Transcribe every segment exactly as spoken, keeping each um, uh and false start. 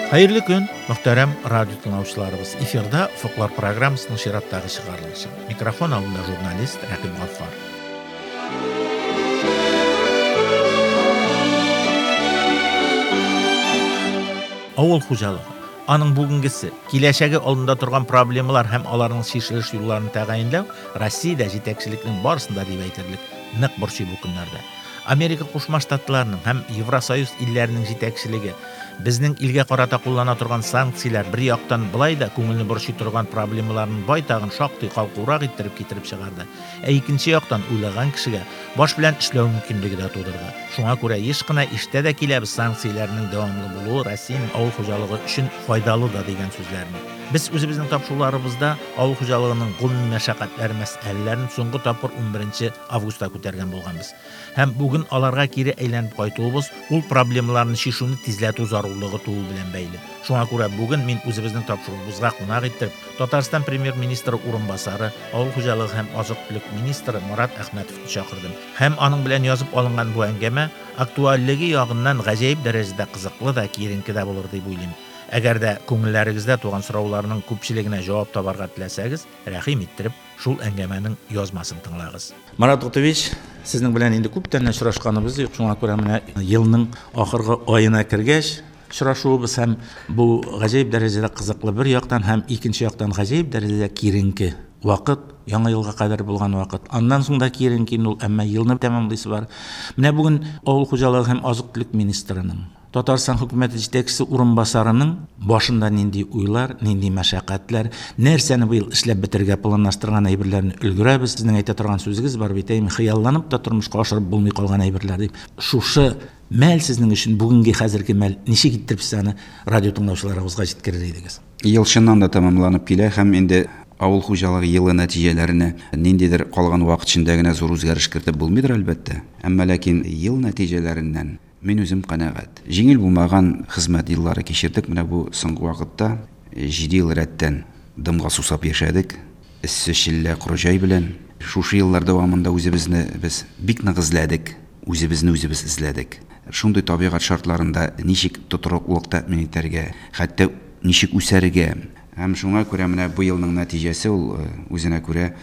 Хәерле көн, мөхтәрәм радио тыңлаучыларыбыз. Эфирда Офыклар программасының чираттагы чыгарылышы. Микрофон алдында журналист Рәкыйп Гаффар. Авыл хуҗалыгы, аның бүгенгесе, киләчәге алдында торган проблемалар һәм аларның чишелеш юлларын тәгаенләү Россиядә җитәкчелекнең барысын да дип әйтерлек нык борчый бу көннәрдә. Америка Кушма Штатларының һәм Евросоюз илләренең җитәкчелеге безнең илгә карата куллана торган санкцияләр бер яктан былай да күңелне борчый торган проблемаларның байтагын шактый калкурак иттереп китереп чыгарды. Ә икенче яктан уйлаган кешегә баш белән эшләү мөмкинлеге дә тудырды. Шуңа күрә еш кына ишетә дә киләбез санкцияләрнең дәвамлы булуы Россиянең авыл хуҗалыгы өчен файдалы да дигән сүзләрне. Без үзебезнең тапшыруларыбызда авыл хуҗалыгының гомуми мәшәкатьләре мәсьәләләрен соңгы тапкыр унберенче августта күтәргән булганбыз. Һәм бүген аларга кире әйләнеп кайтуыбыз ул проблемаларны чишүне тизләтү зарурлыгы туу белән бәйле. Шуңа күрә бүген мин үзебезнең тапшыруыбызга кунак иттереп Татарстан премьер-министры урынбасары, авыл хуҗалыгы һәм азык-төлек министры Марат Әхмәтовны чакырдым. Һәм аның белән язып алынган бу әңгәмә актуальлеге ягыннан гаҗәеп дәрәҗәдә кызыклы да, киеренке дә булыр дип уйлыйм. Әгәр дә күңелләрегездә туган сорауларның күпчелегенә җавап табарга теләсәгез, рәхим иттереп шул әңгәмәнең язмасын тыңлагыз. Марат Гутович, сезнең белән инде күптән очрашканыбыз юк, шуңа күрә менә елның ахыргы аена кергәч очрашуыбыз һәм бу гаҗәеп дәрәҗәдә кызыклы бер яктан һәм икенче яктан гаҗәеп дәрәҗәдә киеренке вакыт, яңа елга кадәр булган вакыт. Аннан соң да киеренке инде ул, әмма елны тәмамлыйсы бар. Менә бүген авыл хуҗалыгы һәм азык-төлек министрының, Татарстан хөкүмәте җитәкчесе урынбасарының башында нинди уйлар, нинди мәшәкатьләр, нәрсәне быел эшләп бетерергә планлаштырган әйберләрне өлгерәбез. Сезнең әйтә торган сүзегез бар бит, әйме, хыялланып та тормышка ашырып булмый калган әйберләр дип. Шушы мәл сезнең өчен бүгенге хәзерге мәл ничек иттереп сез аны радио тыңлаучыларыбызга җиткерер идегез? Ел чыннан да тәмамланып килә һәм инде авыл хуҗалыгы елы нәтиҗәләренә ниндидер калган вакыт эчендә генә зур үзгәреш кертеп булмыйдыр әлбәттә. Әмма ләкин ел нәтиҗәләреннән мин үзем канәгать. Җиңел булмаган хезмәт еллары кичердек. Менә бу соңгы вакытта җиде ел рәттән дымга сусап яшәдек. Эссе челлә коры җәй белән. Шушы еллар дәвамында үзебезне без бик нык эзләдек. Үзебезне үзебез эзләдек. Шундый табигать шартларында ничек тотрыклылык тәэмин итәргә, хәтта ничек үсәргә. Һәм шуңа күрә менә бу елның нәтиҗәсе ул үзенә күрә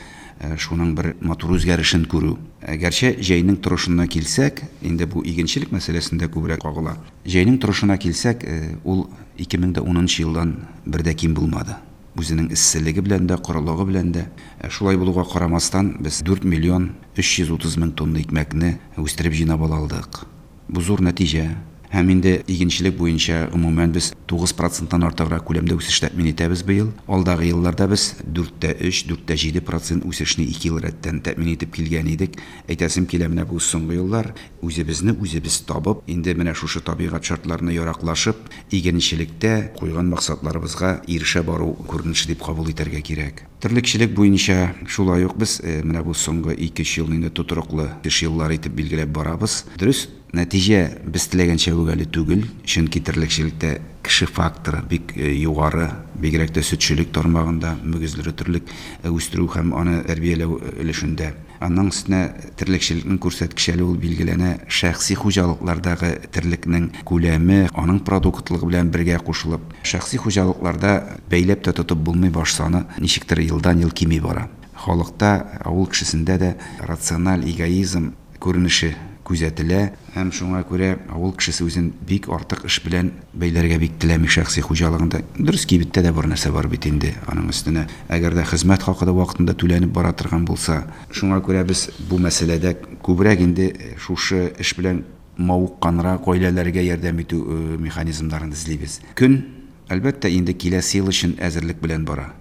шуның бер матур үзгәрешен күрү. Гәрчә җәйнең торышына килсәк, инде бу игенчелек мәсьәләсендә күбрәк кагыла. Җәйнең торышына килсәк, ул ике мең дә унынчы елдан бер дә ким булмады. Үзенең эсселеге белән дә, корылыгы белән дә. Шулай булуга карамастан, без дүрт миллион өч йөз утыз мең тонна икмәкне үстереп җыйнап ала алдык. Бу зур нәтиҗә. Һәм инде игенчелек буенча гомумән без тугыз проценттан артыграк күләмдә үсеш тәэмин итәбез быел. Алдагы елларда без дүрт тә өч, дүрт тә җиде процент үсешне ике ел рәттән тәэмин итеп килгән идек. Әйтәсем килә, менә бу соңгы еллар үзебезне үзебез табып, инде менә шушы табигать шартларына яраклашып, игенчелектә куйган максатларыбызга ирешә бару күренеше дип кабул итәргә кирәк. Терлекчелек буенча шулай ук без, э, менә бу соңгы ике-өч елны инде тотрыклы эш еллары итеп билгеләп барабыз. Дөрес, нәтиҗә без теләгәнчә үк әле түгел, чөнки терлекчелектә кеше факторы бик, э, югары, бигрәк тә сөтчелек тармагында, мөгезле терлек, э, үстерү һәм аны тәрбияләү өлешендә. Анның өстенә терлекчелекнең күрсәткече әле ул билгеләнә шәхси хуҗалыклардагы терлекнең күләме, аның продуктлыгы белән бергә кушылып, шәхси хуҗалыкларда бәйләп тә тотып булмый, баш саны ничектер елдан-ел кими бара. Халыкта, авыл кешесендә дә рациональ эгоизм күренеше күзәтелә һәм шуңа күрә авыл кешесе үзен бик артык эш белән бәйләргә бик теләми шәхси хуҗалыгында. Дөрес, кибеттә дә бар нәрсә бар бит инде. Аның өстенә, әгәр дә хезмәт хакы да вакытында түләнеп бара торган булса, шуңа күрә без бу мәсьәләдә күбрәк инде шушы эш белән мавыкканрак гаиләләргә ярдәм итү, э, механизмнарын эзлибез. Көн, әлбәттә, инде киләсе ел өчен әзерлек белән бара.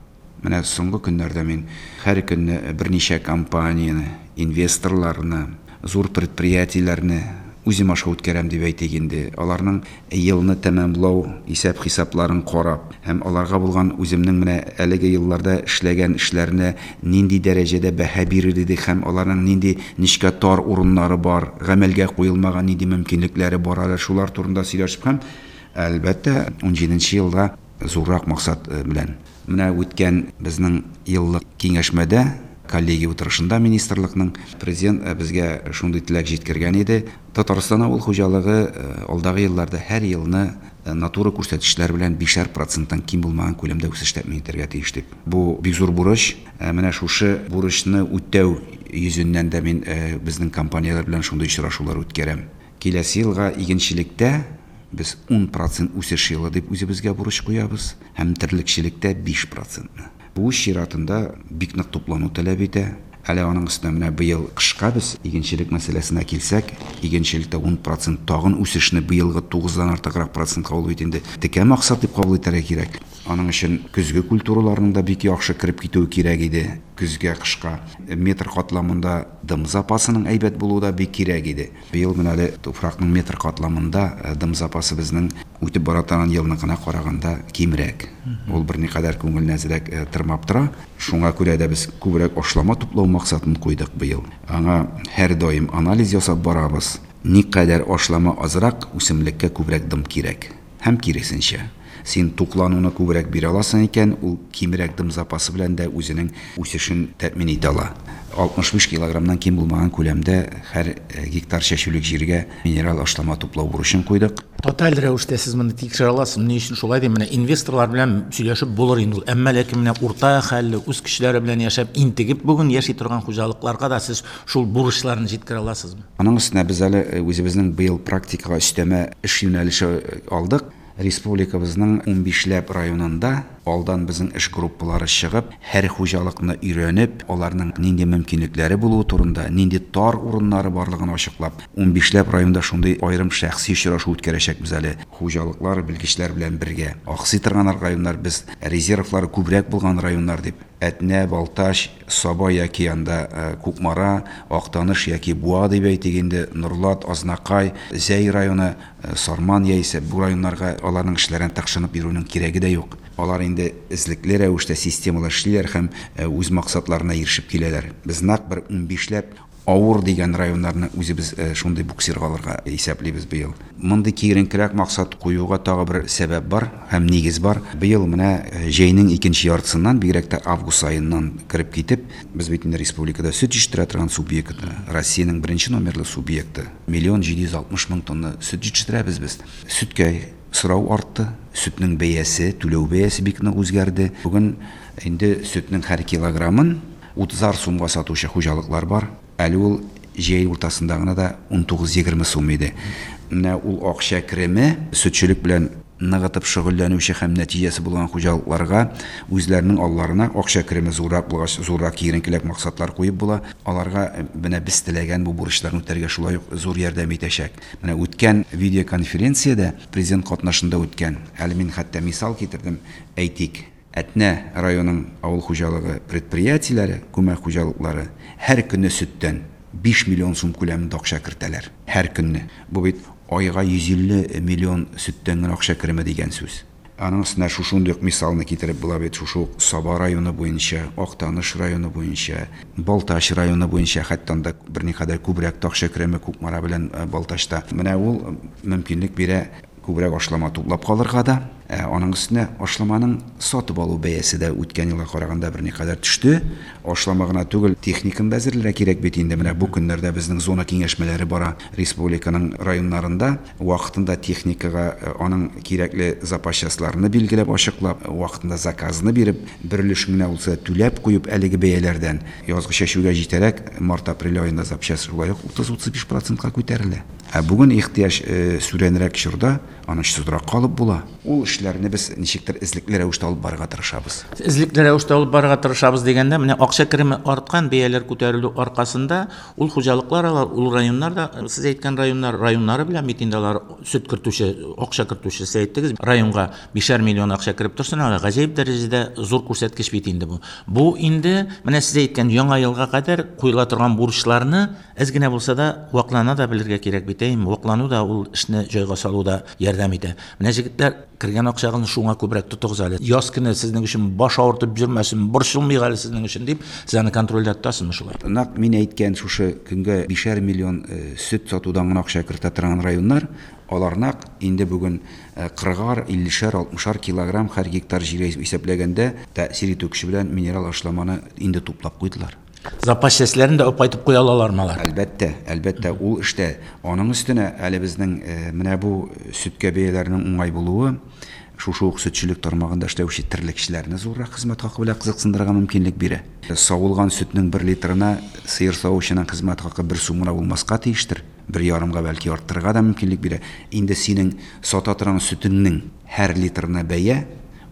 Менә соңгы көннәрдә мин һәр көнне берничә компанияне, инвесторларны, зур предприятиеләрне үзем аша үткәрәм дип әйтик инде. Аларның елны тәмамлау исәп-хисапларын карап һәм аларга булган үземнең менә әлеге елларда эшләгән эшләренә нинди дәрәҗәдә бәһа бирер идек һәм аларның нинди нечкә тар урыннары бар, гамәлгә куелмаган нинди мөмкинлекләре бар, әле шулар турында сөйләшеп һәм әлбәттә унҗиденче елда зуррак максат, э, белән. Менә үткән безнең еллык киңәшмәдә Коллегия утырышында министрлыкның президент безгә шундый теләк җиткергән иде. Татарстан авыл хуҗалыгы алдагы елларда һәр елны натура күрсәткечләр белән бишәр проценттан ким булмаган күләмдә үсеш тәэмин итәргә тиеш дип. Бу бик зур бурыч. Менә шушы бурычны үтәү йөзеннән дә мин безнең компанияләр белән шундый очрашулар үткәрәм. Киләсе елга игенчелектә без ун процент үсеш елы дип үзебезгә бурыч куябыз һәм терлекчелектә биш процентны. Бу чиратында бик нык туплану таләп итә. Әле аның өстенә менә быел кышка без игенчелек мәсьәләсенә килсәк, игенчелектә ун процент тагын үсешне быелгы тугыздан артыграк процентка ул бит инде текә максат дип кабул итәргә кирәк. Аның өчен көзге культураларның да бик яхшы кереп китүе кирәк иде. Көзгә, кышка метр катламында дым запасының әйбәт булуы да бик кирәк иде. Быел менә әле туфракның метр катламында дым запасы безнең үтеп бара торган елныкына караганда кимрәк. Ул берникадәр күңелне әзрәк тырмап тора. Шуңа күрә дә без күбрәк ашлама туплау максатын куйдык быел. Аңа һәр даим анализ ясап барабыз. Никадәр ашлама азрак, үсемлеккә күбрәк дым кирәк. Һәм киресенчә. Син туклануны күбрәк бирә аласың икән, ул кимрәк дым запасы белән дә үзенең үсешен тәэмин итә ала. алтмыш биш килограммнан ким булмаган күләмдә һәр гектар чәчүлек җиргә минерал ашлама туплау бурычын куйдык. Тоталь рәвештә сез моны тикшерә аласыз. Ни өчен шулай дим? Менә инвесторлар белән сөйләшеп булыр инде ул. Әмма ләкин менә урта хәлле үз көчләре белән яшәп, интегеп бүген яши торган хуҗалыкларга да сез шул бурычларны җиткерә аласызмы? Аның өстенә без әле үзебезнең быел практикага өстәмә эш юнәлеше алдык. Республикабызның унбишләп районында алдан безнең эш группалары чыгып, һәр хуҗалыкны өйрәнеп, аларның нинди мөмкинлекләре булуы турында, нинди тар урыннары барлыгын ачыклап, унбишләп районда шундый аерым шәхси очрашу үткәрәчәкбез әле. Хуҗалыклар, белгечләр белән бергә. Аксый торган районнар без резервлары күбрәк булган районнар дип. Әтнә, Балтач, Саба яки анда Кукмара, Актаныш яки Буа дип әйтик инде, Нурлат, Азнакай, Зәй районы, Сарман яисә бу районнарга аларның эшләрен тыкшынып йөрүнең кирәге дә юк. Алар инде эзлекле рәвештә системалы эшлиләр һәм үз максатларына ирешеп киләләр. Без нәкъ бер унбишләп авыр дигән районнарны үзебез шундый буксирга алырга исәплибез быел. Мондый киеренкерәк максат куюга тагы бер сәбәп бар һәм нигез бар. Быел менә җәйнең икенче яртысыннан, бигрәк тә август аеннан кереп китеп, без бит инде республикада сөт җитештерә торган субъект, Россиянең беренче номерлы субъекты. Миллион җиде йөз алтмыш мең тонна сөт җитештерәбез без. Сөткә сорау артты, сөтнең бәясе, түләү бәясе бик нык үзгәрде. Бүген инде сөтнең һәр килограммын утызар сумга сатучы хуҗалыклар бар. Әле ул җәй уртасында гына да унтугыз-егерме сум иде. Менә ул акча кереме сөтчелек белән ныгытып шөгыльләнүче һәм нәтиҗәсе булган хуҗалыкларга үзләренең алларына акча кереме зуррак булгач, зуррак киеренкеләк максатлар куеп була. Аларга менә без теләгән бу бурычларны үтәргә шулай ук зур ярдәм итәчәк. Менә үткән видеоконференциядә президент катнашында үткән, әле мин хәтта мисал китердем, әйтик, Әтнә районының авыл хуҗалыгы предприятиеләре, күмәк хуҗалыклары һәр көнне сөттән биш миллион сум күләмендә акча кертәләр. Һәр көнне. Бу бит айга йөз илле миллион сөттән генә акча кереме дигән сүз. Аның өстенә шушындый ук мисалны китереп була бит, шушы ук Саба районы буенча, Актаныш районы буенча, Балтач районы буенча, хәтта анда берникадәр күбрәк акча кереме Кукмара белән Балтачта. Менә ул мөмкинлек бирә күбрәк ашлама туплап калырга да. Аның өстенә ашламаның сатып алу бәясе дә үткән елга караганда берникадәр төште. Ашлама гына түгел, техниканы да әзерләргә кирәк бит инде. Менә бу көннәрдә безнең зона киңәшмәләре бара республиканың районнарында. Вакытында техникага аның кирәкле запас частьларны билгеләп, ачыклап, вакытында заказны биреп, бер өлешен генә булса түләп куеп әлеге бәяләрдән язгы чәчүгә җитәрәк март-апрель аенда запчасть шулай ук утыз-утыз биш процентка күтәрелә. Ә бүген ихтыяҗ сүрәнрәк чорда аны очсызрак калып була. Ул эшләрне без ничектер эзлекле рәвештә алып барырга тырышабыз. Эзлекле рәвештә алып барырга тырышабыз дигәндә, менә акча кереме арткан, бәяләр күтәрелү аркасында ул хуҗалыклар алар, ул районнар да, сез әйткән районнар, районнары белән бит инде алар сөт кертүче, акча кертүче, сез әйттегез, районга бишәр миллион акча кереп торсын, алар гаҗәеп дәрәҗәдә зур күрсәткеч бит инде бу. Бу инде менә сез әйткән яңа елга кадәр куела торган бурычларны әз генә булса да ваклана да белергә кирәк бит, әйме? Ваклану да ул эшне җайга салуда ярдәм итә. Менә җегетләр, кергән акчагызны шуңа күбрәк тотыгыз әле. Яз көне сезнең өчен баш авыртып йөрмәсен, борчылмыйк әле сезнең өчен дип, сез аны контрольдә тотасызмы шулай? Нәкъ мин әйткән шушы көнгә бишәр миллион сөт сатудан гына акча кертә торган районнар, алар нәкъ инде бүген кырыгар, иллешәр, алтмышар килограмм һәр гектар җиргә исәпләгәндә тәэсир итү көче белән минерал ашламаны инде туплап куйдылар. Запас частьләрен дә алып кайтып куя алалармы алар? Әлбәттә, әлбәттә, ул эштә. Аның өстенә әле безнең менә бу сөткә бәяләренең уңай булуы шушы ук сөтчелек тармагында эшләүче терлекчеләрне зуррак хезмәт хакы белән кызыксындырырга мөмкинлек бирә. Савылган сөтнең бер литрына сыер савучының хезмәт хакы бер сум гына булмаска тиештер. Бер ярымга бәлки арттырырга да мөмкинлек бирә. Инде синең сата торган сөтеңнең һәр литрына бәя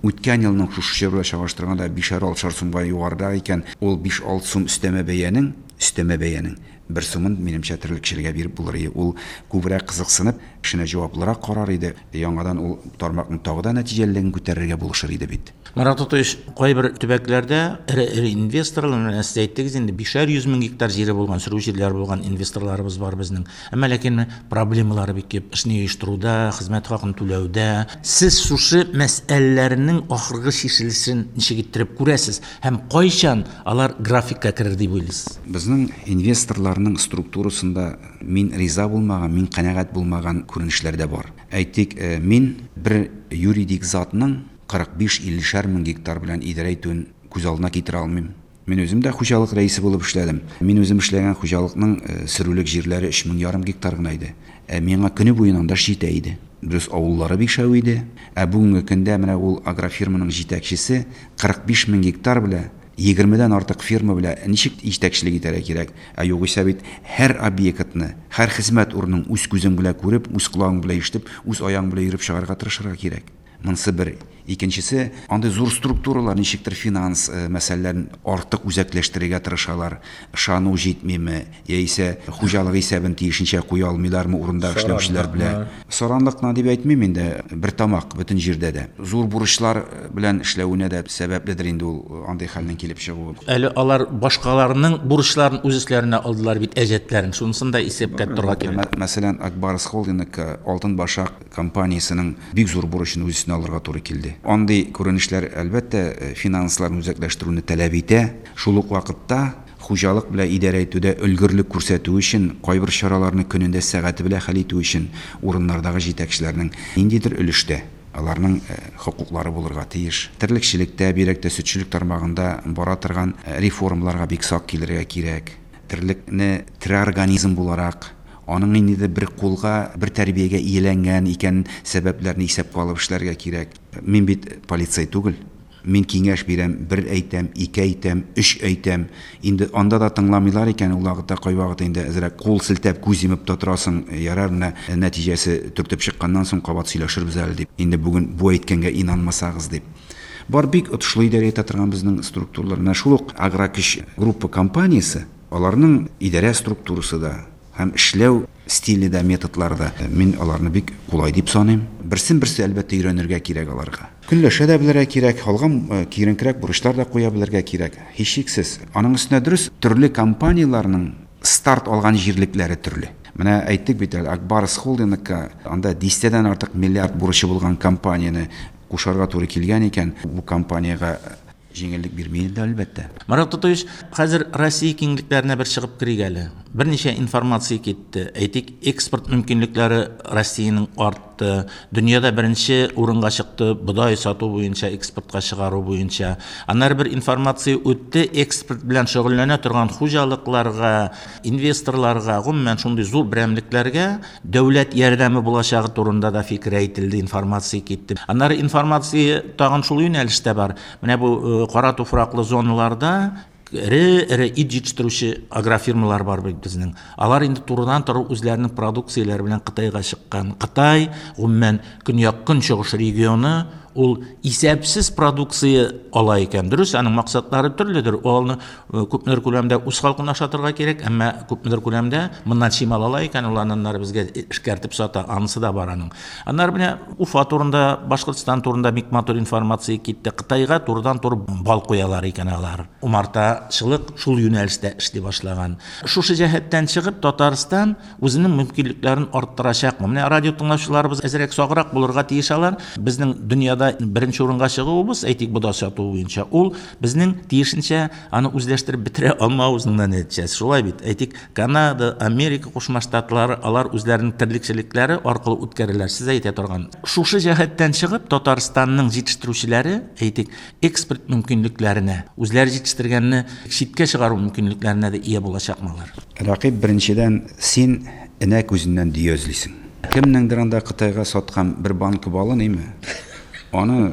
үткән елның шушы чор белән чагыштырганда бишәр-алтышар сумга югарыда икән, ул биш-алты сум өстәмә бәянең, өстәмә бәянең бер сумын минемчә терлекчеләргә биреп булыр иде. Ул күбрәк кызыксынып, эшенә җаваплырак карар иде. Яңадан ул тармакның тагы да нәтиҗәлелеген күтәрергә булышыр иде бит. Марат Тотович, кайбер төбәкләрдә эре-эре инвесторлар, менә сез әйттегез инде, бишәр йөз мең гектар җире булган, сөрү җирләре булган инвесторларыбыз бар безнең. Әмма ләкин проблемалары бик күп, эшне оештыруда, хезмәт хакын түләүдә. Сез шушы мәсьәләләрнең ахыргы чишелешен ничек иттереп күрәсез һәм кайчан алар графикка керер дип уйлыйсыз? Безнең инвесторларның структурасында мин риза булмаган, мин канәгать булмаган күренешләр дә бар. Әйтик, мин бер юридик затның кырык биш иллешәр мең гектар белән идарә итүен күз алдына китерә алмыйм. Мин үзем дә хуҗалык рәисе булып эшләдем. Мин үзем эшләгән хуҗалыкның сөрүлек җирләре өч мең ярым гектар гына иде. Ә миңа көне буена анда җитә иде. Дөрес, авыллары бик шәү иде. Ә бүгенге көндә менә ул агрофирманың җитәкчесе кырык биш мең гектар белән егермедән артык фирма белән ничек җитәкчелек итәргә кирәк? Ә югыйсә бит һәр объектны, һәр хезмәт урынын үз күзең белән күреп, үз колагың белән ишетеп, үз аяң белән йөреп чыгарга тырышырга кирәк. Монысы бер. Икенчесе, андый зур структуралар ничектер финанс мәсьәләләрен артык үзәкләштерергә тырышалар. Ышану җитмиме, яисә хуҗалык исәбен тиешенчә куя алмыйлармы урында эшләүчеләр белән. Саранлыкны дип әйтмим инде, бер тамак бөтен җирдә дә. Зур бурычлар белән эшләвенә дә сәбәпледер инде ул андый хәлнең килеп чыгуы. Әле алар башкаларның бурычларын үз өсләренә алдылар бит, әҗәтләрен. Шунысын да исәпкә тотарга кирәк. Мәсәлән, Ак Барс Холдинг Алтын Башак компаниясенең бик зур бурычын үз өстенә алырга туры килде. Андый күренешләр әлбәттә финансларны үзәкләштерүне таләп итә. Шул ук вакытта хуҗалык белән идарә итүдә өлгерлек күрсәтү өчен, кайбер чараларны көнендә сәгате белән хәл итү өчен урыннардагы җитәкчеләрнең ниндидер өлештә аларның хокуклары булырга тиеш. Терлекчелектә, бигрәк тә сөтчелек тармагында бара торган реформаларга бик сак килергә кирәк. Терлекне тере организм буларак, аның инде бер кулга, бер тәрбиягә ияләнгән икән сәбәпләрне исәпкә алып эшләргә кирәк. Мин бит полицей түгел. Мин киңәш бирәм, бер әйтәм, ике әйтәм, өч әйтәм. Инде анда да тыңламыйлар икән, ул вакытта кайвакыт инде әзрәк кул селтәп, күз йомып та торасың, ярар, менә нәтиҗәсе төртеп чыкканнан соң кабат сөйләшербез әле дип. Инде бүген бу әйткәнгә инанмасагыз дип. Бар бик отышлы идарә итә торган безнең структуралар. Менә шул ук Агрокөч группа компаниясе, аларның идарә структурасы да һәм эшләү стиле дә, методлары да. Мин аларны бик кулай дип саныйм. Берсен берсе әлбәттә өйрәнергә кирәк аларга. Көнләшә дә белергә кирәк, алган киеренкерәк бурычлар да куя белергә кирәк. Һичшиксез. Аның өстенә дөрес, төрле компанияләрнең старт алган җирлекләре төрле. Менә әйттек бит әле, Ак Барс Холдингка анда дистәдән артык миллиард бурычы булган компанияне кушарга туры килгән икән, бу компаниягә җиңеллек бирмей инде әлбәттә. Марат Тотович, хәзер Россия киңлекләренә бер чыгып керик әле. Берничә информация китте. Әйтик, экспорт мөмкинлекләре Россиянең артты. Дөньяда беренче урынга чыкты бодай сату буенча, экспортка чыгару буенча. Аннары бер информация үтте, экспорт белән шөгыльләнә торган хуҗалыкларга, инвесторларга, гомумән шундый зур берәмлекләргә дәүләт ярдәме булачагы турында да фикер әйтелде, информация китте. Аннары информация тагын шул юнәлештә бар. Менә бу кара туфраклы зоналарда эре-эре ит җитештерүче агрофирмалар бар бит безнең. Алар инде турыдан-туры үзләренең продукцияләре белән Кытайга чыккан. Кытай, гомумән, көньяк-көнчыгыш регионы ул исәпсез продукция ала икән. Дөрес, аның максатлары төрледер. Ул аны күпмедер күләмдә үз халкын ашатырга кирәк, әмма күпмедер күләмдә моннан чимал ала икән, ул аннары безгә эшкәртеп сата, анысы да бар аның. Аннары менә Уфа турында, Башкортстан турында бик матур информация китте. Кытайга турыдан-туры бал куялар икән алар. Умартачылык шул юнәлештә эшли башлаган. Шушы җәһәттән чыгып, Татарстан үзенең мөмкинлекләрен арттырачакмы? Менә радио тыңлаучыларыбыз әзрәк саграк булырга тиеш алар. Безнең дөньяда базарда беренче урынга чыгуыбыз, әйтик, бодай сату буенча, ул безнең тиешенчә аны үзләштереп бетерә алмавыбызның да нәтиҗәсе. Шулай бит. Әйтик, Канада, Америка Кушма Штатлары, алар үзләренең терлекчелекләре аркылы үткәрәләр. Сез әйтә торган. Шушы җәһәттән чыгып, Татарстанның җитештерүчеләре, әйтик, экспорт мөмкинлекләренә, үзләре җитештергәнне читкә чыгару мөмкинлекләренә дә ия булачакмы алар? Рәкыйп, беренчедән, син энә күзеннән дөя эзлисең. Кемнеңдер анда Кытайга саткан бер банка балын, име? Аны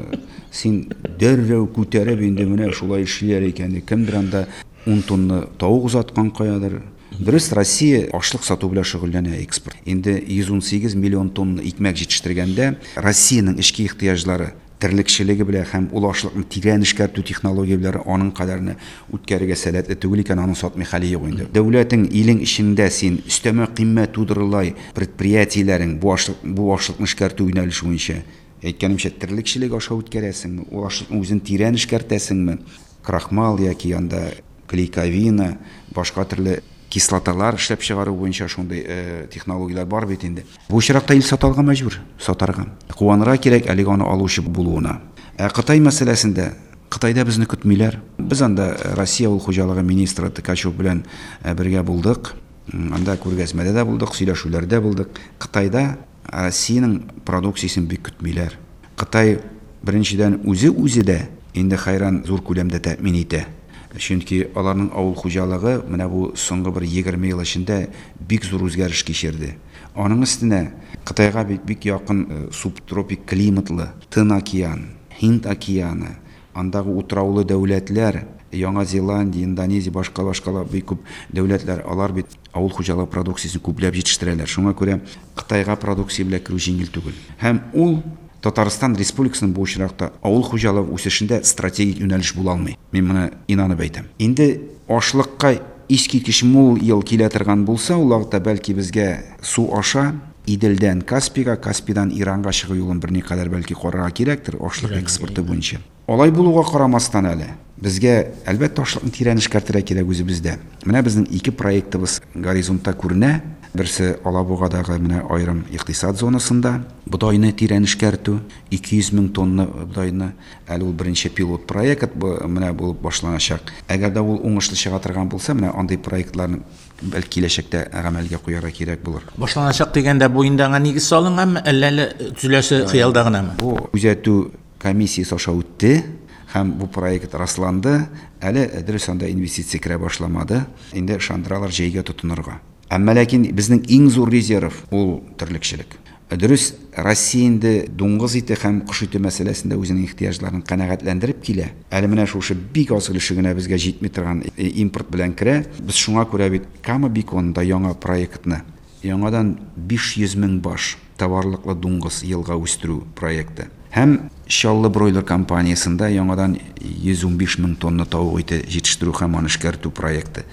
син дәррәү күтәреп инде менә шулай эшлиләр икән. Кемдер анда ун тонна тавык озаткан каядыр. Дөрес, Россия ашлык сату белән шөгыльләнә экспорт. Инде йөз ун сигез миллион тонна икмәк җитештергәндә Россиянең эчке ихтыяҗлары терлекчелеге белән һәм ул ашлыкны тирән эшкәртү технологияләре аның кадәрне үткәрергә сәләтле түгел икән, аны сатмый хәле юк инде. Дәүләтең, илең эчендә син өстәмә кыйммәт тудырылай предприятиеләрең бу ашлык, бу ашлыкны эшкәртү юнәлеше буенча, әйткәнемчә, терлекчелек аша үткәрәсеңме, ул ашлыкны үзен тирән эшкәртәсеңме, крахмал яки анда клейковина, башка төрле кислоталар эшләп чыгару буенча шундый, э, технологияләр бар бит инде. Бу очракта ил сатарга мәҗбүр, сатарга. Куанырга кирәк әлеге аны алучы булуына. Ә Кытай мәсьәләсендә, Кытайда безне көтмиләр. Без анда Россия авыл хуҗалыгы министры Ткачев белән, э, бергә булдык. Анда күргәзмәдә дә булдык, сөйләшүләрдә булдык. Кытайда Россиянең продукциясен бик көтмиләр. Кытай беренчедән үзе үзе дә инде хайран зур күләмдә тәэмин итә. Чөнки аларның авыл хуҗалыгы менә бу соңгы бер егерме ел эчендә бик зур үзгәреш кичерде. Аның өстенә Кытайга бик, бик якын, э, субтропик климатлы Тын океан, Һинд океаны, андагы утраулы дәүләтләр, Яңа Зеландия, Индонезия, башка башкалар бик күп дәүләтләр, алар бит авыл хуҗалыгы продукциясен күпләп җитештерәләр. Шуңа күрә Кытайга продукция белән керү җиңел түгел. Һәм ул Татарстан Республикасының бу очракта авыл хуҗалыгы үсешендә стратегик юнәлеш була алмый. Мин моны инанып әйтәм. Инде ашлыкка искиткеч мул ел килә торган булса, ул вакытта бәлки безгә су аша Иделдән Каспийга, Каспийдан Иранга чыгу юлын берникадәр бәлки карарга кирәктер ашлык Өйрәнергә экспорты буенча. Алай булуга карамастан әле безгә әлбәттә ашлыкны тирән эшкәртергә кирәк үзебездә. Менә безнең ике проектыбыз горизонтта күренә. Берсе Алабугадагы менә аерым икътисад зонасында бодайны тирән эшкәртү, ике йөз мең тонна бодайны, әле ул беренче пилот проект бу менә булып башланачак. Әгәр дә ул уңышлы чыга торган булса, менә андый проектларны бәлки киләчәктә гамәлгә куярга кирәк булыр. Башланачак дигәндә бу инде аңа нигез салынганмы, әллә әле төзеләсе хыялда гынамы? Бу күзәтү комиссиясе аша үтте һәм бу проект расланды. Әле дөрес анда инвестиция керә башламады. Инде ышандыралар җәйгә тотынырга. Әмма ләкин безнең иң зур резерв ул терлекчелек. Дөрес, Россия инде дуңгыз ите һәм кош ите мәсьәләсендә үзенең ихтыяҗларын канәгатьләндереп килә. Әле менә шушы бик аз өлеше генә безгә җитми торган импорт белән керә. Без шуңа күрә бит Кама Биконында яңа проектны, яңадан биш йөз мең баш товарлыклы дуңгыз елга үстерү проекты. Һәм Чаллы бройлер компаниясендә яңадан йөз унбиш мең тонна тавык ите җитештерү һәм аны эшкәртү проекты.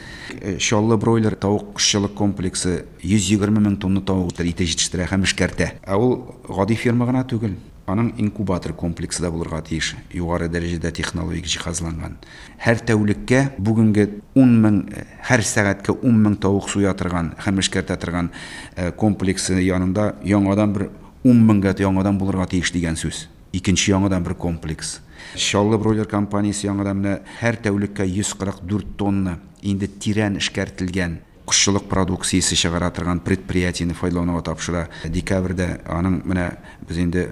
Чаллы бройлер тавык кошчылык комплексы йөз егерме мең тонна тавык ите җитештерә һәм эшкәртә. Ә ул гади ферма гына түгел. Аның инкубатор комплексы да булырга тиеш, югары дәрәҗәдә технологик җиһазланган. Һәр тәүлеккә бүгенге ун мең, һәр сәгатькә ун мең тавык суя торган һәм эшкәртә торган, э, комплексы янында яңадан бер ун меңгә яңадан булырга тиеш дигән сүз. Икенче яңадан бер комплекс. Чаллы бройлер компаниясе яңадан менә һәр тәүлеккә йөз кырык дүрт тонна инде тирән эшкәртелгән кошчылык продукциясе чыгара торган предприятиене файдалануга тапшыра. Декабрьдә аның менә без инде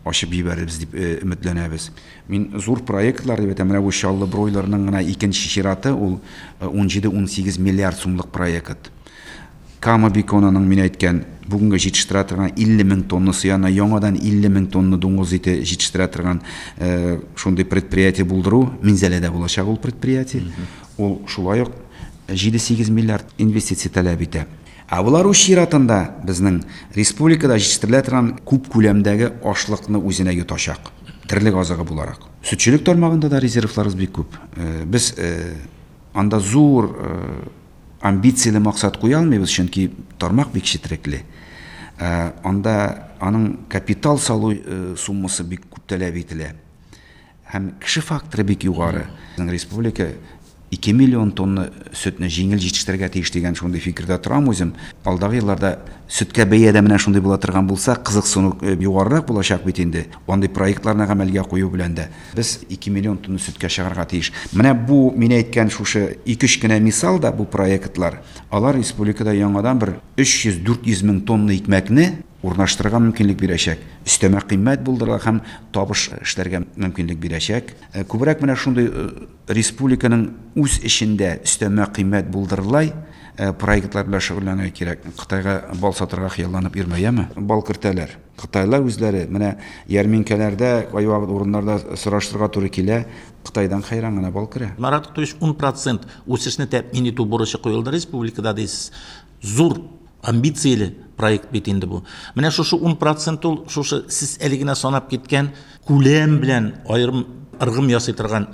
ачып җибәрербез дип, э, өметләнәбез. Мин зур проектлар дип әйтәм, менә бу Чаллы бройлерның гына икенче чираты ул, э, ун җиде-ун сигез миллиард сумлык проект. Кама Биконаның мин әйткән бүгенге җитештерә торган илле мең тонна сыяна яңадан илле мең тонна дуңгыз ите җитештерә торган, э, шундый предприятие булдыру Минзәләдә булачак ул предприятие. Мгм. Ул шулай ук җиде-сигез миллиард инвестиция таләп итә. Ә болар үз чиратында безнең республикада җитештерелә торган күп күләмдәге ашлыкны үзенә йотачак. Терлек азыгы буларак. Сөтчелек тармагында да резервларыбыз бик күп. Э, без, э, анда зур, э, амбицияле максат куя алмыйбыз, чөнки тармак бик четерекле. Э, анда аның капитал салу, э, суммасы бик күп таләп ителә. Һәм кеше факторы бик югары. Безнең республика ике миллион тонна сөтне җиңел җитештерергә тиеш дигән шундый фикердә торам үзем. Алдагы елларда сөткә бәя дә менә шундый була торган булса, кызыксыну югарырак булачак бит инде. Андый проектларны гамәлгә кую белән дә без ике миллион тонна сөткә чыгарга тиеш. Менә бу мин әйткән шушы ике-өч кенә мисал да бу проектлар, алар республикада яңадан бер өч йөз дүрт йөз мең тонна икмәкне урнаштырырга мөмкинлек бирәчәк. Өстәмә кыйммәт булдырырга һәм табыш эшләргә мөмкинлек бирәчәк. Күбрәк менә шундый республиканың үз эчендә өстәмә кыйммәт булдырылай проектлар белән шөгыльләнергә кирәк. Кытайга бал сатырга хыялланып йөрмә, яме? Бал кертәләр. Кытайлар үзләре менә ярминкәләрдә, кайвакыт урыннарда сораштырырга туры килә, Кытайдан хәйран гына бал керә. Марат Кутуевич, ун процент үсешне тәэмин итү бурычы куелды республикада дейсез. Зур амбицияле проект бит инде бу. Менә шушы ун процент ул шушы сез әле генә санап киткән күләм белән аерым ыргым ясый торган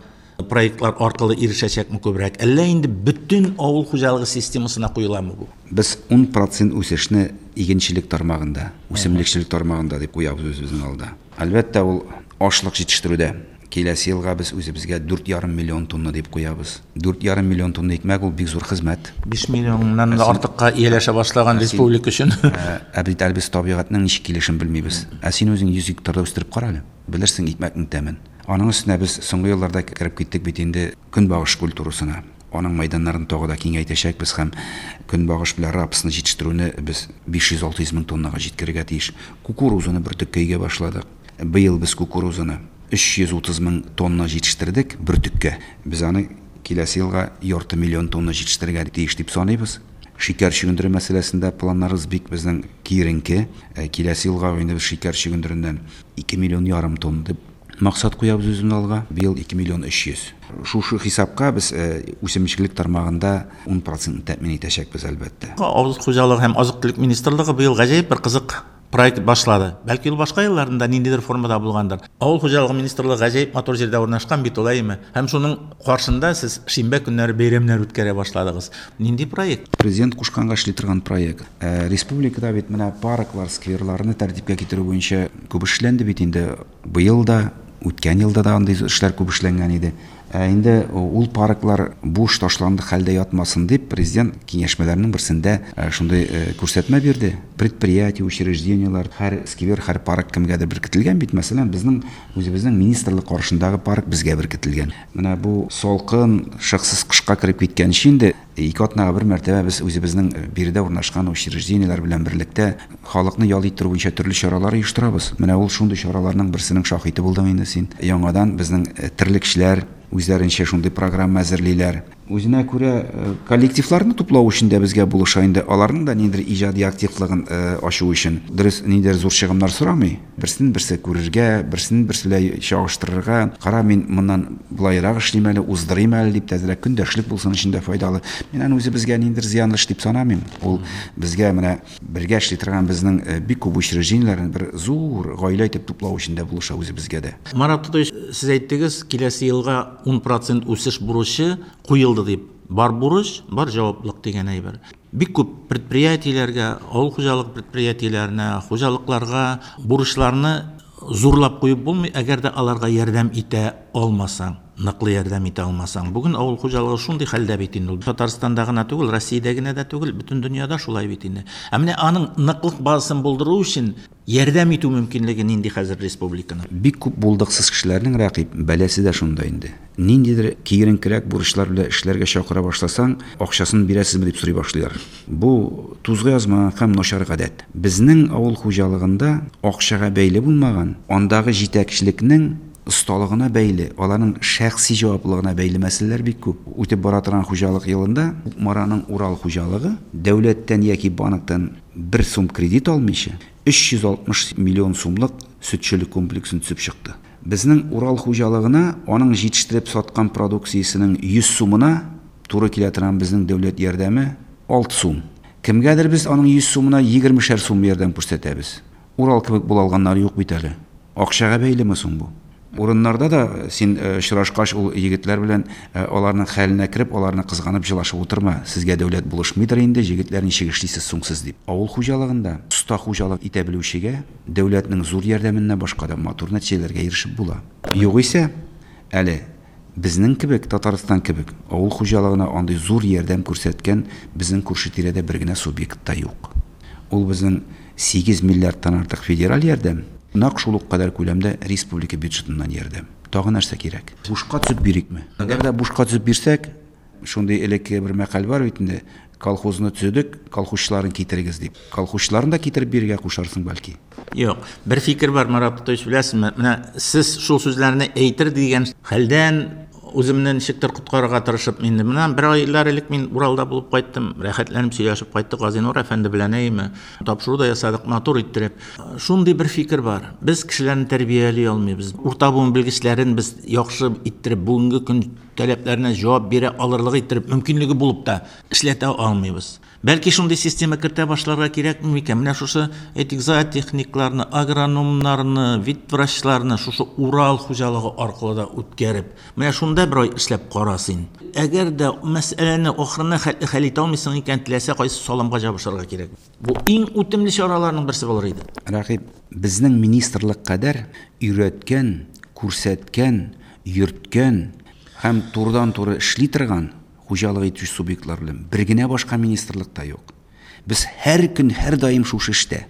проектлар аркылы ирешәчәкме күбрәк? Әллә инде бөтен авыл хуҗалыгы системасына куеламы бу? Без ун процент үсешне игенчелек тармагында, үсемлекчелек тармагында дип куябыз үзебезнең алда. Әлбәттә, ул ашлык җитештерүдә. Киләсе елга без үзебезгә дүрт ярым миллион тонна дип куябыз. Дүрт ярым миллион тонна икмәк ул бик зур хезмәт. Биш миллионнан да артыкка ияләшә башлаган республика өчен. Ә бит әле без табигатьнең ничек килешен белмибез. Ә син үзең йөз гектарда үстереп кара әле. Белерсең икмәкнең тәмен. Аның өстенә без соңгы елларда кереп киттек бит инде көнбагыш культурасына. Аның мәйданнарын тагы да киңәйтәчәкбез һәм көнбагыш белән рапсны җитештерүне без биш йөз алты йөз мең тоннага җиткерергә тиеш. Кукурузаны бөртеккә игә башладык. Быел без кукурузаны өч йөз утыз мең тонна җитештердек бөртеккә. Без аны киләсе елга ярты миллион тонна җитештерергә тиеш дип саныйбыз. Шикәр чөгендере мәсьәләсендә планнарыбыз бик безнең киеренке. Киләсе елга инде без шикәр чөгендереннән ике миллион ярым тонна дип максат куябыз үзебезнең алга. Быел ике миллион өч йөз. Шушы хисапка без үсемлекчелек тармагында ун процентны тәэмин итәчәкбез әлбәттә. Авыл хуҗалыгы һәм азык-төлек министрлыгы быел гаҗәеп бер кызык проект башлады. Бәлки ул башка елларында ниндидер формада булгандыр. Авыл хуҗалыгы министрлыгы гаҗәеп матур җирдә урнашкан бит ул, әйеме? Һәм шуның каршында сез шимбә көннәре бәйрәмнәр үткәрә башладыгыз. Нинди проект? Президент кушканга эшли торган проект. Республикада бит менә парклар, скверларны тәртипкә китерү буенча күп эшләнде бит инде. Быел да, үткән елда да андый эшләр күп эшләнгән иде. Ә инде ул парклар буш ташланды хәлдә ятмасын дип президент киңәшмәләренең берсендә шундый күрсәтмә бирде. Предприятие, учреждениелар, һәр сквер, һәр парк кемгәдер беркетелгән бит. Мәсәлән, безнең үзебезнең министрлык каршындагы парк безгә беркетелгән. Менә бу салкын, шыксыз кышка кереп киткәнче инде ике атнага бер мәртәбә без үзебезнең биредә урнашкан учреждениеләр белән берлектә халыкны ял иттерү буенча төрле чаралар оештырабыз. Менә ул шундый чараларның берсенең шаһиты булдың инде син. Яңадан безнең терлекчеләр үзләренчә шундый программа әзерлиләр. Үзенә күрә коллективларны туплау өчен дә безгә булыша инде. Аларның да ниндидер иҗади активлыгын ачу өчен. Дөрес, ниндидер зур чыгымнар сорамый. Берсен берсе күрергә, берсен берсе белән чагыштырырга. Кара, мин моннан былайрак эшлим әле, уздырыйм әле дип тәзрәк көндәшлек булсын өчен дә файдалы. Мин аны үзебезгә ниндидер зыянлы эш дип санамыйм. Ул безгә менә бергә эшли торган безнең бик күп учреждениеләрен бер зур гаилә итеп туплау өчен дә булыша үзебезгә дә. Марат Тотович, сез әйттегез, киләсе елга ун процент үсеш бурычы куелды дип. Бар бурыч, бар җаваплык дигән әйбер. Бик күп предприятиеләргә, авыл хуҗалык предприятиеләренә, хуҗалыкларга бурычларны зурлап куеп булмый, әгәр дә аларга ярдәм итә алмасаң, ныклы ярдәм итә алмасаң. Бүген авыл хуҗалыгы шундый хәлдә бит инде ул. Татарстанда гына түгел, Россиядә генә дә түгел, бөтен дөньяда шулай бит инде. Ә менә аның ныклык базасын булдыру өчен ярдәм итү мөмкинлеге нинди хәзер республиканың? Бик күп булдыксыз кешеләрнең рәкыйп бәласе дә шунда инде. Ниндидер киеренкерәк бурычлар белән эшләргә чакыра башласаң, акчасын бирәсезме дип сорый башлыйлар. Бу тузга язмаган һәм начар гадәт. Безнең авыл хуҗалыгында акчага бәйле булмаган, андагы җитәкчелекнең осталыгына бәйле, аларның шәхси җаваплылыгына бәйле мәсьәләләр бик күп. Үтеп бара торган хуҗалык елында Кукмараның Урал хуҗалыгы дәүләттән яки банктан бер сум кредит алмыйча өч йөз алтмыш миллион сумлык сөтчелек комплексын төзеп чыкты. Безнең Урал хуҗалыгына аның җитештереп саткан продукциясенең йөз сумына туры килә торган безнең дәүләт ярдәме алты сум. Кемгәдер без аның йөз сумына егермешәр сум ярдәм күрсәтәбез. Урал кебек була алганнар юк бит әле. Акчага бәйлеме соң бу? Урыннарда да син очрашкач ул егетләр белән аларның хәленә кереп, аларны кызганып җылашып утырма. Сезгә дәүләт булышмыйдыр инде, егетләр ничек эшлисез соң сез дип. Авыл хуҗалыгында оста хуҗалык итә белүчегә дәүләтнең зур ярдәменнән башка да матур нәтиҗәләргә ирешеп була. Югыйсә, әле Безнең кебек, Татарстан кебек, авыл хуҗалыгына андый зур ярдәм күрсәткән безнең күрше тирәдә бер генә субъект та юк. Ул безнең сигез миллиардтан артык федераль ярдәм, нәкъ шул ук кадәр күләмдә республика бюджетыннан ярдәм. Тагы нәрсә кирәк? Бушка төзеп бирикме? Әгәр дә бушка төзеп бирсәк, шундый элекке бер мәкаль бар бит инде, колхозны төзедек, колхозчыларын китерегез дип. Колхозчыларын да китереп бирергә кушарсың бәлки. Юк, бер фикер бар, Марат Тотович, беләсезме? Менә сез шул сүзләрне әйтер дигән хәлдән үземне ничектер коткарырга тырышып инде. Менә бер айлар элек мин Уралда булып кайттым, рәхәтләнеп сөйләшеп кайттык Газинур әфәнде белән, әйеме? Тапшыру да ясадык, матур иттереп. Шундый бер фикер бар. Без кешеләрне тәрбияли алмыйбыз. Урта буын белгечләрен без яхшы иттереп, бүгенге көн таләпләренә җавап бирә алырлык иттереп, мөмкинлеге булып та эшләтә алмыйбыз. Бәлки шундый система кертә башларга кирәкме микән? Менә шушы, әйтик, зоотехникларны, агрономнарны, ветврачларны шушы Урал хуҗалыгы аркылы да үткәреп, менә шунда бер ай эшләп кара син. Әгәр дә мәсьәләне ахырына хәтле хәл итә алмыйсың икән, теләсә кайсы салымга җабышырга кирәк. Бу иң үтемле чараларның берсе булыр иде. Рәкыйп, безнең министрлык кадәр өйрәткән, күрсәткән, йөрткән һәм турыдан-туры эшли торган хуҗалык итүче субъектлар белән бер генә башка министрлык та юк. Без һәр көн, һәр даим шушы эштә.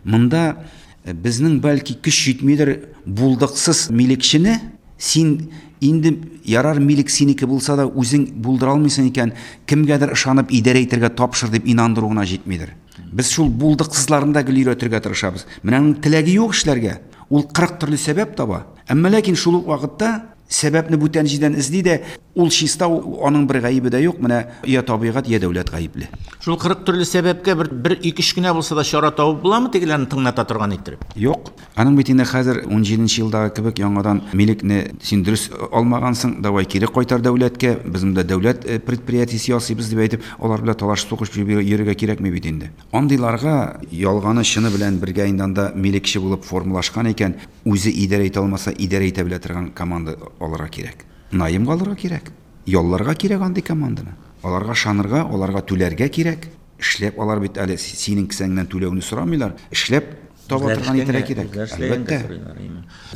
Монда безнең бәлки көч җитмидер булдыксыз милекчене, син инде ярар милек синеке булса да үзең булдыра алмыйсың икән, кемгәдер ышанып идарә итәргә тапшыр дип инандыру гына җитмидер. Без шул булдыксызларны да гел өйрәтергә тырышабыз. Менә аның теләге юк эшләргә. Ул кырык төрле сәбәп таба. Әмма ләкин шул ук вакытта сәбәпне бүтән җирдән эзли дә, ул чиста, аның бер гаебе дә юк, менә я табигать, я дәүләт гаепле. Шул кырык төрле сәбәпкә бер, бер ике өч кенә булса да чара табып буламы тегеләрне тыңлата торган иттереп? Юк. Аның бит инде хәзер ун җиденче елдагы кебек яңадан милекне син дөрес алмагансың, давай кире кайтар дәүләткә, без монда дәүләт предприятиесе ясыйбыз дип әйтеп, алар белән талаш сугыш йөрергә кирәкми бит инде. Андыйларга ялганы чыны белән бергә инде анда милекче булып формалашкан икән, үзе идарә итә алмаса, идарә итә белә торган команда алырга кирәк. Наемга алырга кирәк. Ялларга кирәк андый команданы. Аларга ышанырга, аларга түләргә кирәк. Эшләп алар бит әле синең кесәңнән түләүне сорамыйлар. Эшләп таба торган итәргә кирәк. Әлбәттә.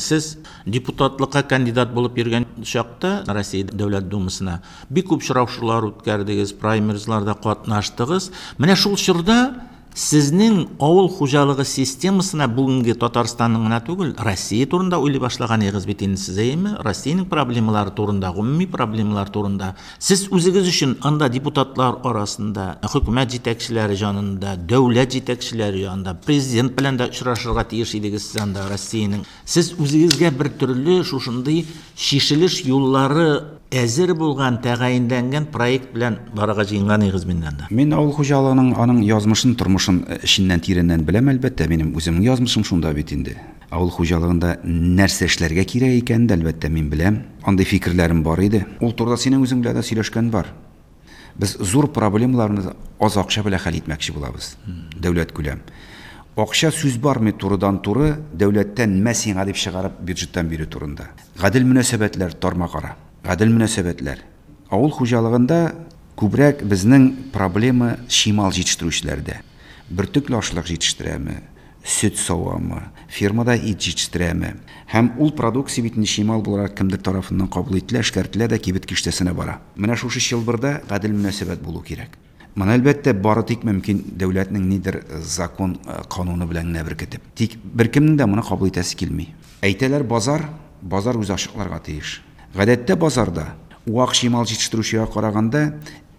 Сез депутатлыкка кандидат булып йөргән чакта Россия Дәүләт Думасына бик күп очрашулар үткәрдегез, праймеризларда катнаштыгыз. Менә шул чорда сезнең авыл хуҗалыгы системасына бүгенге Татарстанның гына түгел, Россия турында уйлый башлаган идегез бит инде сез, әйеме? Россиянең проблемалары турында, гомуми проблемалар турында. Сез үзегез өчен анда депутатлар арасында, хөкүмәт җитәкчеләре янында, дәүләт җитәкчеләре янында, президент белән дә очрашырга тиеш идегез сез анда Россиянең. Сез үзегезгә бер төрле шушындый чишелеш юллары әзер булган, тәгаенләнгән проект белән барырга җыенган идегез миннән дә. Мин авыл хуҗалыгының аның язмышын, тормышын эченнән тирәннән беләм, әлбәттә, минем үземнең язмышым шунда бит инде. Авыл хуҗалыгында нәрсә эшләргә кирәк икәнен дә, әлбәттә, мин беләм. Андый фикерләрем бар иде. Ул турыда синең үзең белән дә сөйләшкән бар. Без зур проблемаларны аз акча белән хәл итмәкче булабыз. Дәүләт күләм. Акча сүз бармый турыдан-туры дәүләттән мә сиңа дип чыгарып бюджеттан бирү турында. Гадел мөнәсәбәтләр тармакара. Гадел мөнәсәбәтләр. Авыл хуҗалыгында күбрәк безнең проблема чимал җитештерүчеләрдә. Бөртекле ашлык җитештерәме, сөт савамы, фермада ит җитештерәме. Һәм ул продукция бит инде чимал буларак кемдер тарафыннан кабул ителә, эшкәртелә дә кибет киштәсенә бара. Менә шушы чылбырда гадел мөнәсәбәт булу кирәк. Моны әлбәттә бары тик мөмкин дәүләтнең нидер закон кануны белән генә беркетеп. Тик беркемнең дә моны кабул итәсе килми. Әйтәләр базар, базар үзе ачыкларга тиеш. Гадәттә базарда вак чимал җитештерүчегә караганда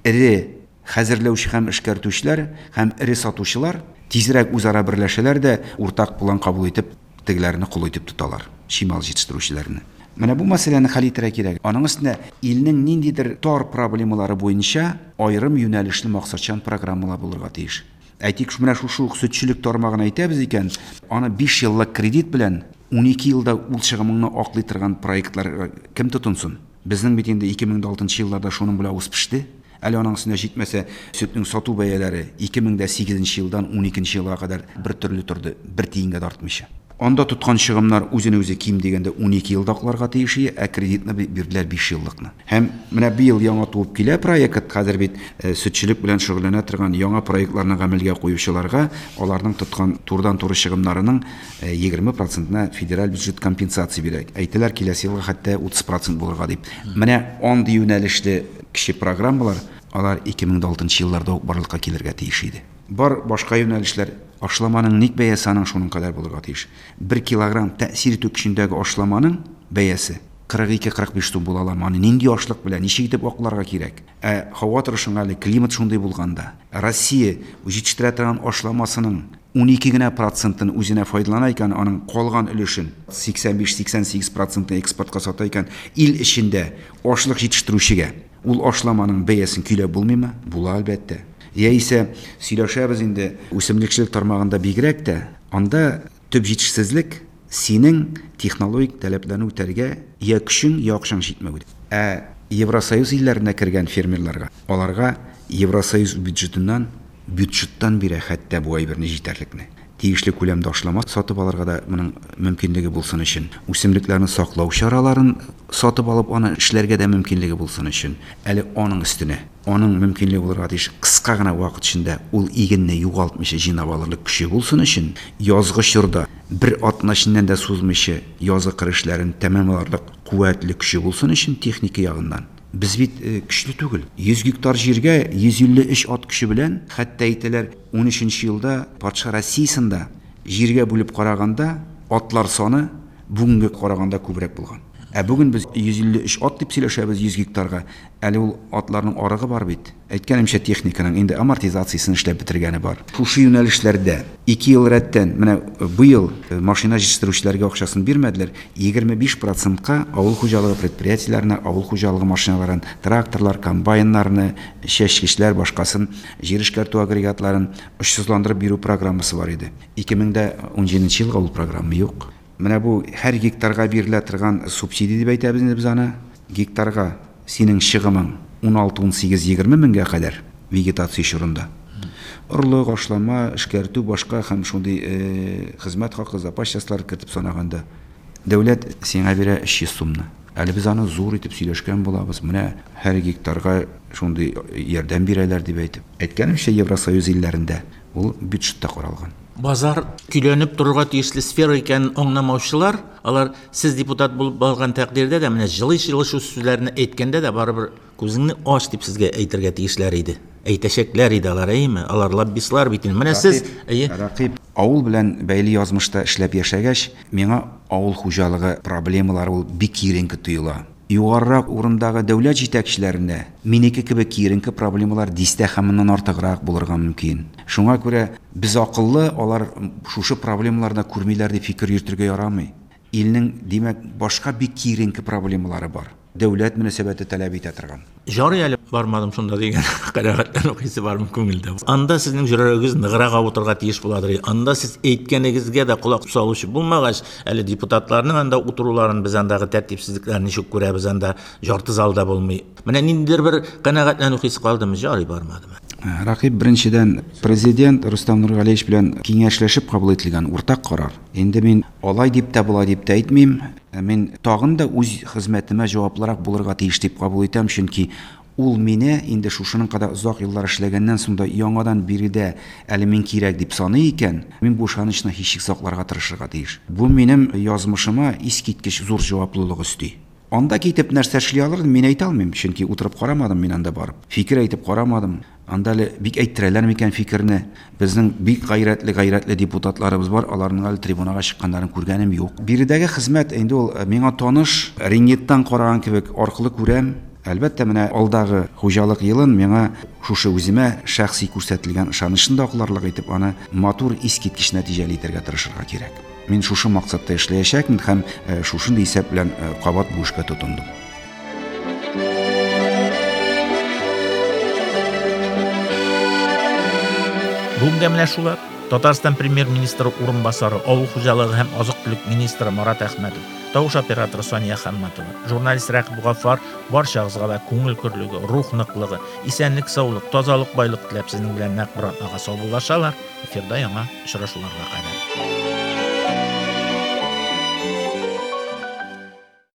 эре хәзерләүче һәм эшкәртүчеләр һәм эре сатучылар тизрәк үзара берләшәләр дә уртак план кабул итеп тегеләрне кул итеп тоталар, чимал җитештерүчеләрне. Менә бу мәсьәләне хәл итәргә кирәк. Аның өстенә илнең ниндидер тар проблемалары буенча аерым юнәлешле максатчан программалар булырга тиеш. Әйтик, менә шушы ук сөтчелек тармагын әйтәбез икән, аны биш еллык кредит белән ун ике елда ул чыгымыңны аклый торган проектларга кем тотынсын? Безнең бит инде ике мең дә алтынчы елларда шуның белән үсеп пеште. Әле аның өстенә җитмәсә, сөтнең сату бәяләре ике мең дә сигезенче елдан ун икенче елга кадәр бер төрле торды, бер тиенгә дә артмыйча. Анда тоткан чыгымнар үзен үзе ким дигәндә унике елда акларга тиеш, ә кредитны бирделәр биш еллыкны. Һәм менә быел яңа туып килә проект, хәзер бит сөтчелек белән шөгыльләнә торган яңа проектларны гамәлгә куючыларга аларның тоткан турыдан-туры чыгымнарының егерме процентына федераль бюджет компенсация бирә. Әйтәләр, киләсе елга хәтта утыз процент булырга дип. Менә андый юнәлешле кече программалар, алар ике мең алтынчы елларда ук барлыкка килергә тиеш иде. Бар башка юнәлешләр, ашламаның ник бәясе аның шуның кадәр булырга тиеш. Бер килограмм тәэсир итү көчендәге ашламаның бәясе кырык ике-кырык биш сум була ала. Аны нинди ашлык белән, ничек итеп акларга кирәк? Ә һава торышының әле климат шундый булганда, Россия җитештерә торган ашламасының унике генә процентын үзенә файдалана икән, аның калган өлешен сиксән биш-сиксән сигез процентын экспортка сата икән, ил эчендә ашлык җитештерүчегә ул ашламаның бәясен көйләп булмыймы? Була әлбәттә. Яисә сөйләшәбез инде үсемлекчелек тармагында бигрәк тә, анда төп җитешсезлек синең технологик таләпләрне үтәргә я көчең, я акчаң җитмәү. Ә Евросоюз илләренә кергән фермерларга, аларга Евросоюз бюджетыннан, бюджеттан бирә хәтта бу әйберне җитәрлекне. Тиешле күләмдә ашлама сатып алырга да моның мөмкинлеге булсын өчен, үсемлекләрне саклау чараларын сатып алып аны эшләргә дә мөмкинлеге булсын өчен, әле аның өстенә, аның мөмкинлеге булырга тиеш кыска гына вакыт эчендә ул игенне югалтмыйча җыйнап алырлык көче булсын өчен, язгы чорда бер атна эченнән дә сузмыйча язгы кыр эшләрен тәмамларлык куәтле көче булсын өчен техника ягыннан. Без бит көчле түгел. Йөз гектар җиргә йөз илле өч ат көче белән, хәтта әйтәләр, ун өченче елда патша Россиясендә җиргә бүлеп караганда атлар саны бүгенге караганда күбрәк булган. Ә бүген без йөз илле өч ат дип сөйләшәбез йөз гектарга. Әле ул атларның арыгы бар бит. Әйткәнемчә, техниканың инде амортизациясен эшләп бетергәне бар. Шушы юнәлешләрдә ике ел рәттән, менә быел машина җитештерүчеләргә акчасын бирмәделәр, егерме биш процентка авыл хуҗалыгы предприятиеләренә авыл хуҗалыгы машиналарын, тракторлар, комбайннарны, чәчкечләр, башкасын, җир эшкәртү агрегатларын очсызландырып бирү программасы бар иде. Ике мең дә унҗиденче елга ул программа юк. Менә бу һәр гектарга бирелә торган субсидия дип әйтәбез инде без аны. Гектарга синең чыгымың ун алты, ун сигез, егерме меңгә кадәр вегетация чорында. Орлык, ашлама, эшкәртү, башка һәм шундый, э, хезмәт хакы, запас частьлар кертеп санаганда дәүләт сиңа бирә өч йөз сумны. Әле без аны зур итеп сөйләшкән булабыз. Менә һәр гектарга шундый ярдәм бирәләр дип әйтеп. Әйткәнемчә, Евросоюз илләрендә ул бюджетта каралган. Базар көйләнеп торырга тиешле сфера икәнен аңламаучылар, алар сез депутат булып барган тәкъдирдә дә менә җылы-җылы шул сүзләрне әйткәндә дә барыбер күзеңне ач дип сезгә әйтергә тиешләр иде. Әйтәчәкләр иде алар, әйеме? Алар лоббистлар бит инде. Менә сез, әйе. Рәкыйп, авыл белән бәйле язмышта эшләп яшәгәч, миңа авыл хуҗалыгы проблемалары ул бик киеренке тоела. Югарырак урындагы дәүләт җитәкчеләренә минеке кебек киеренке проблемалар дистә һәм моннан артыграк булырга мөмкин. Шуңа күрә без акыллы, алар шушы проблемаларны күрмиләр дип фикер йөртергә ярамый. Илнең, димәк, башка бик киеренке проблемалары бар. Дәүләт мөнәсәбәте таләп итә торган. Жарый әле бармадым шунда дигән канәгатьләнү хисе бар күңелдә. Анда сезнең йөрәгегез ныграк авыртырга тиеш буладыр. Анда сез әйткәнегезгә дә колак салучы булмагач, әле депутатларның анда утыруларын без андагы тәртипсезлекләрне ничек күрәбез, анда жарты залда булмый. Менә ниндидер бер канәгатьләнү хисе калдымы? Жарый бармадым. Рәкыйп, беренчедән, президент Рөстәм Нургалиевич белән киңәшләшеп кабул ителгән уртак карар. Инде мин алай дип тә, болай дип тә әйтмим. Мин тагын да үз хезмәтемә җаваплырак булырга тиеш дип кабул итәм, чөнки ул мине инде шушының кадәр озак еллар эшләгәннән соң да яңадан биредә әле мин кирәк дип саный икән, мин бу ышанычны һичшиксез сакларга тырышырга тиеш. Бу минем язмышыма искиткеч зур җаваплылык өсти. Анда китеп нәрсә эшли алырдым, мин әйтә алмыйм, чөнки утырып карамадым мин анда барып. Фикер әйтеп карамадым. Анда әле бик әйттерәләр микән фикерне? Безнең бик гайрәтле, гайрәтле депутатларыбыз бар, аларның әле трибунага чыкканнарын күргәнем юк. Биредәге хезмәт инде ул миңа таныш, рентгеннан караган кебек аркылы күрәм. Әлбәттә, менә алдагы хуҗалык елын миңа шушы үземә шәхси күрсәтелгән ышанычны да акларлык итеп, аны матур, искиткеч нәтиҗәле итәргә тырышырга кирәк. Мин шушы максатта эшләячәкмен һәм, э, шушындый исәп белән, э, кабат бу эшкә тотындым. Бүгенгә менә шулар. Татарстан премьер-министры урынбасары, авыл хуҗалыгы һәм азык-төлек министры Марат Әхмәтов, тавыш операторы Сания Хамматова, журналист Рәкыйп Гаффар барчагызга да күңел көрлеге, рух ныклыгы, исәнлек, саулык, тазалык, байлык теләп сезнең белән нәкъ бер атнага саубуллашалар. Эфирда яңа очрашуларга кадәр.